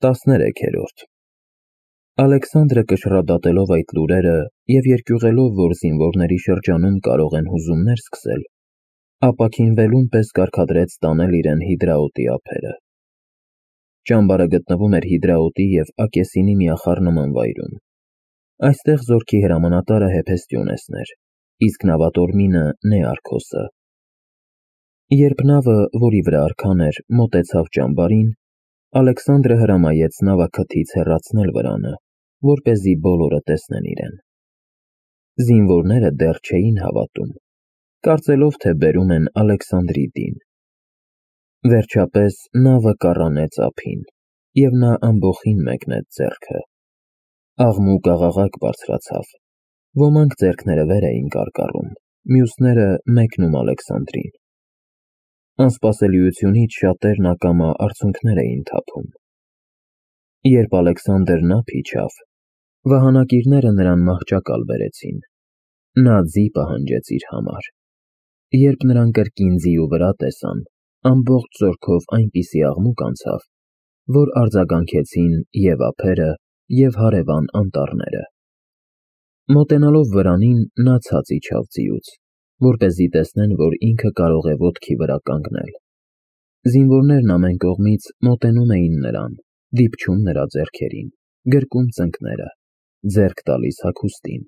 13-րդ Ալեքսանդրը կշռադատելով այդ լուրերը և երկյուղելով, որ զինվորների շրջանում կարող են հուզումներ սկսել, ապաքինվելուն պես կարգադրեց տանել իրեն Հիդրաոտի ափերը։ Ճամբարը գտնվում էր Հիդրաոտի և Ակեսինի միախառնման վայրում։ Այստեղ զորքի հրամանատարը Հեփեստիոնեսն էր, իսկ նավատորմինը Նեարքոսը։ Երբ նավը, որի վրա արքան էր, մոտեցավ ճամբարին, Ալեքսանդրը հրամայեց նավաքթից հեռացնել վրանը, որպեսզի բոլորը տեսնեն իրեն։ Զինվորները դեռ չէին հավատում, կարծելով, թե բերում են Ալեքսանդրի դին։ Վերջապես նավը կառանեց ափին, և նա ամբոխին մեկնեց ձեռքը։ Աղմուկ աղաղակ բարձրացավ, ոմանք ձեռքները վեր էին կարկառում, մյուսները մեկնում Ալեքսանդրին։ Անսպասելիությունից շատերն ակամա արցունքներ էին թափում։ Երբ Ալեքսանդրն ափ իջավ, վահանակիրները նրան մահճակալ բերեցին։ Նա ձի պահանջեց իր համար։ Երբ նրան կրկին ձիու վրա տեսան, ամբողջ զորքով այնպիսի աղմուկ անցավ, որ արձագանքեցին և ափերը, և հարևան անտառները։ Մոտենալով վրանին, նա ցած իջավ ձիուց, որպեսզի տեսնեն, որ ինքը կարող է ոտքի վրա կանգնել։ Զինվորներն ամեն կողմից մոտենում էին նրան, դիպչում նրա ձեռքերին, գրկում ծնկները, ձեռք տալիս հագուստին։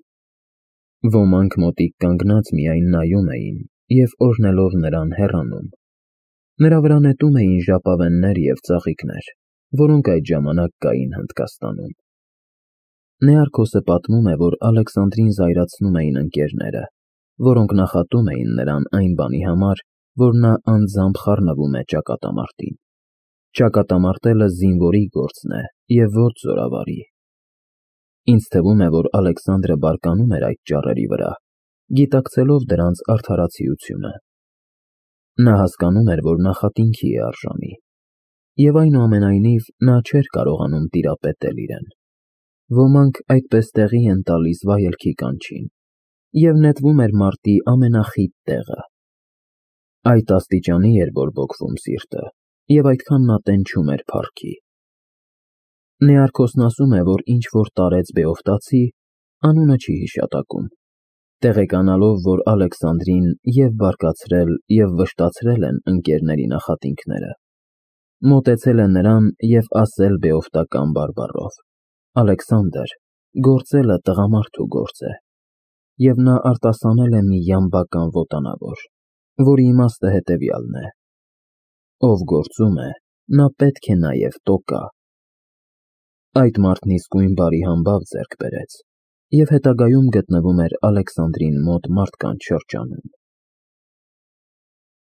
Ոմանք մոտիկ կանգնած միայն նայում էին և օրհնելով նրան հեռանում։ Նրա վրա նետում էին ժապավեններ և ծաղիկներ, որոնք այդ ժամանակ կային Հնդկաստանում։ Նեարքոսը պատմում է, որ Ալեքսանդրին զայրացնում էին ընկերները, որոնք նախատում էին նրան այն բանի համար, որ նա անձամբ խառնվում է ճակատամարտին։ Ճակատամարտելը զինվորի գործն է և ոչ զորավարի։ Ինձ թվում է, որ Ալեքսանդրը բարկանում էր այդ ճառերի վրա, գիտակցելով դրանց արդարացիությունը։ Նա հասկանում էր, որ նախատինքի է արժանի, և այնուամենայնիվ նա չէր կարողանում տիրապետել իրեն։ Ոմանք այդպես տեղի են տալիս վայելքի կանչին, և նետվում էր մարտի ամենախիտ տեղը։ Այդ աստիճանի էր բորբոքվում սիրտը, և այդքան նա տենչում էր փառքի։ Նեարքոսն ասում է, որ ինչ-որ տարեց Բեովտացի, անունը չի հիշատակում, տեղեկանալով, որ Ալեքսանդրին և բարկացրել, և վշտացրել են ընկերների նախատինքները, մոտեցել է նրան և ասել բեովտական բարբառով. «Ալեքսանդր, գործելը տղամարդու գործ է», և նա արտասանել է մի յամբական ոտանավոր, որի իմաստը հետևյալն է. «Ով գործում է, նա պետք է նաև տոկա»։ Այդ մարդն իսկույն բարի համբավ ձեռք բերեց և հետագայում գտնվում էր Ալեքսանդրին մոտ մարդկանց շրջանում։